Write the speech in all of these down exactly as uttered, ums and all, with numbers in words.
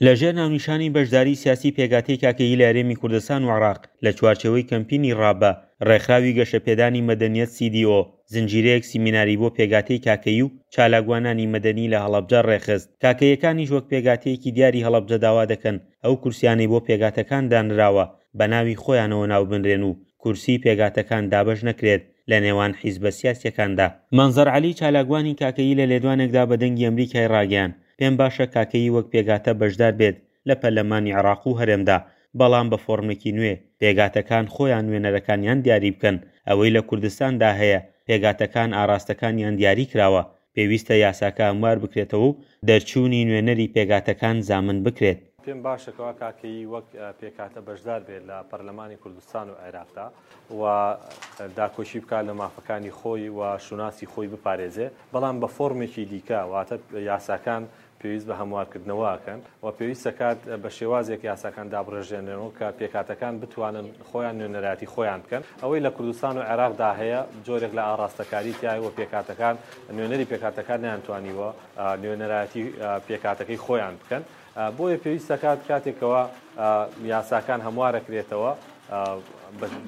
لەژێر ناونیشانی بەشداری سیاسی پێکهاتەی کاکەیی لە هەرێمی کوردستان و عێراق لە چوارچێوەی کەمپینی ڕابە، ڕێکخراوی گەشەپێدانی مەدەنیەت C D O زنجیرەیەک سیمیناری بۆ پێکهاتەی کاکەیی و چالاکوانانی مەدەنی لە هەڵەبجە ڕێکخست. کاکەیەکانیش وەک پێکهاتەیەکی دیاری هەڵەبجە داوا دەکەن ئەو کورسیانەی بۆ پێکهاتەکان دانراوە بە ناوی خۆیانەوە ناوبنرێن و کورسی پێکهاتەکان دابەش نەکرێت لە نێوان حیزبە سیاسیەکاندا. مەنزەر عەلی چالاکوانی کاکەیی لە لێدوانێکدا بە دەنگی ئەمریکای ڕاگەیاند، پێم باشە کاکەیی وەک پێکهاتە بەشدار بێت لە پەرلەمانی عێراق و هەرێمدا، بەڵام بە فۆرمێکی نوێ، پێکهاتەکان خۆیان نوێنەرەکانیان دیاری بکەن، ئەوەی لە کوردستاندا هەیە پێکهاتەکان ئاراستەکانیان دیاری کراوە، پێویستە یاساکە هەموار بکرێتەوە و دەرچوونی نوێنەری پێکهاتەکان زامن بکرێت. پێم باشە کەوا کاکەیی وەک پێکهاتە بەشدار بێت لە پەرلەمانی کوردستان و عێراقدا و داکۆکی بکات لە مافەکانی خۆی و شوناسی خۆی بپارێزێ، بەڵام بە فۆرمێکی دیکە، واتە یاساکان پێویست بە هەموارکردنەوەکەن و پێویستە کات بە شێوازێک یاساکان دابڕێژێنەوە کە پێکهاتەکان بتوانن خۆیان نوێنەرایەتی خۆیان بکەن. ئەوەی لە کوردستان و عێراقدا هەیە جۆرێک لە ئاراستەکاری تایە و پێکهاتەکان نوێنەری پێکهاتەکان نەیانتوانیوە نوێنەرایەتی پێکهاتەکەی خۆیان بکەن. بۆیە پێویستە کات کاتێکەوە یاساکان هەموارەکرێتەوە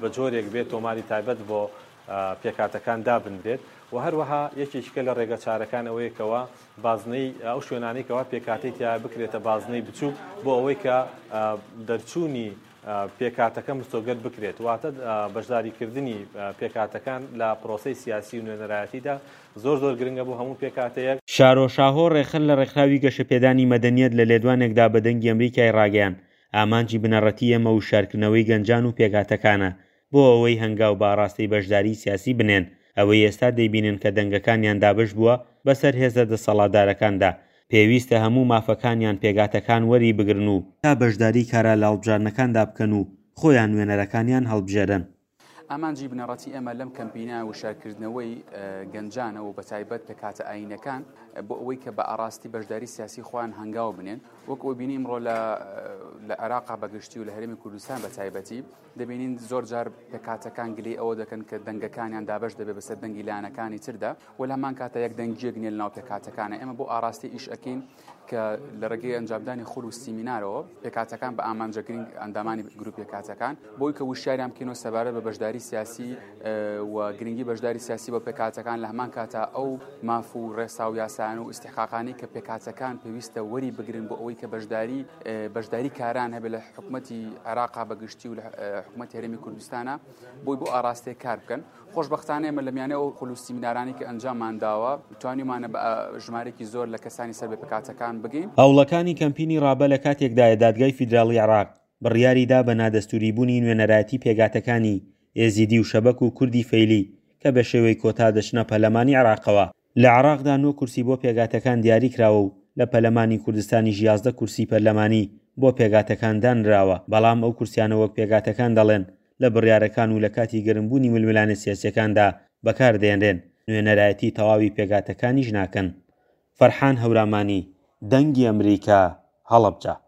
بە جۆرێک بێت تۆماری تایبەت بۆ پێکهاتەکان دابنرێت. و هەروەها یەکێکیکە لە ڕێگە چارەکان ئەوەیەکەوە بازنەی ئەو شوێنانەی کەوا پێکهاتەی تیا بکرێتە بازنەی بچووک بۆ ئەوەی کە دەرچوونی پێکهاتەکە مسۆگەر بکرێت، واتە بەشداریکردنی پێکهاتەکان لە پرۆسەی سیاسی و نوێنەرایەتیدا زۆر زۆر گرنگە بۆ هەموو پێکهاتەیەک. شارۆ شاهۆ ڕێکخەر لە ڕێکخراوی گەشەپێدانی مەدەنیەت لە لێدوانێکدا بە دەنگی ئەمریکای ڕاگەیاند، ئامانجی بنەڕەتی ئێمە وشارکردنەوەی گەنجان و پێکهاتەکانە بۆ ئەوەی هەنگاو بە ئاراستەی بەشداری سیاسی بنێن. ئەوەی ئێستا دەیبینن کە دەنگەکانیان دابەش بووە بەسەر هێزە دەسەڵاتدارەکاندا، پێویستە هەموو مافەکانیان پێکهاتەکان وەری بگرن و تا بەشداری کارا لە هەڵبژاردنەکاندا بکەن و خۆیان نوێنەرەکانیان هەڵبژێرن. ئامانجی بنەڕەتی ئێمە لەم کەمپینە وشارکردنەوەی گەنجانە و بەتایبەت پێکهاتە ئایینەکان بۆ ئەوەی کە بە ئاراستی بەشداری سیاسی خۆیان هەنگاو بنێن. وەک ئەوەی بینی ئەمڕۆ لە عێراقا بەگشتی و لە هەرێمی کوردستان بە تایبەتی دەبینین زۆر جار پێکهاتەکان گلەی ئەوە دەکەن کە دەنگەکانیان دابەش دەبێت بەسەر دەنگی لایەنەکانی تردا و لە هەمان کاتە یەک دەنگیەک نییە لەناو پێکهاتەکانە. ئێمە بۆ ئاراستی ئیش ئەکەین کە لە ڕێگەی ئەنجامدانی خول و سیمینارەوە پێکهاتەکان بە ئامانجە گرنگ ئەندامانی گروپ پێکهاتەکان بۆی کە وشیاریان بکەینەوە سەبارەت بە بەشداری سیاسی و گرنگی بەشداری سیاسی بۆ پێکهاتەکان، لە هەمان کاتە ئەو ماف و ڕێسا و یاسایان و ئیستیحقاقانەی کە پێکهاتەکان پێویستە وەری بگرن بۆ ئەوەی کە بەشداری بەشداری کاران هەبێت لە حکوومەتی عێراقا بەگشتی و لە حکوومەتی هەرێمی کوردستانە بۆی بۆ ئاراستەیە کار بکەن. خۆشبەختانە ئێمە لە میانەی ئەو خول و سیمینارانەی کە ئەنجاممان داوە توانیمانە بە ژمارێکی زۆر لە کەسانی سەر بە پێکهاتەکان بگەین. هەوڵەکانی کەمپینی ڕابە لە کاتێکدایە دادگای فیدراڵی عێراق بڕیاریدا بە نادەستوری بوونی نوێنەرایەتی پێکهاتەکانی ئێزیدی و شەبەک و کوردی فەیلی کە بە شێوەی کۆتا دەچنە پەرلەمانی عێراقەوە. لە عێراقدا نۆ کورسی بۆ پێکهاتەکان دیاری کراوە و لە پەرلەمانی کوردستانیش یازدە کورسی پەرلەمانی بۆ پێکهاتەکان دانراوە، بەڵام ئەو کورسیانە وەک پێکهاتەکان دەڵێن لە بڕیارەکان و لە کاتی گەرمبوونی ململانێ سیاسیەکاندا بەکاردێنرێن، نوێنەرایەتی تەواوی پێکهاتەکانیش ناکەن. فەرحان هەورامانی، دەنگی ئەمریکا، هەڵەبجە.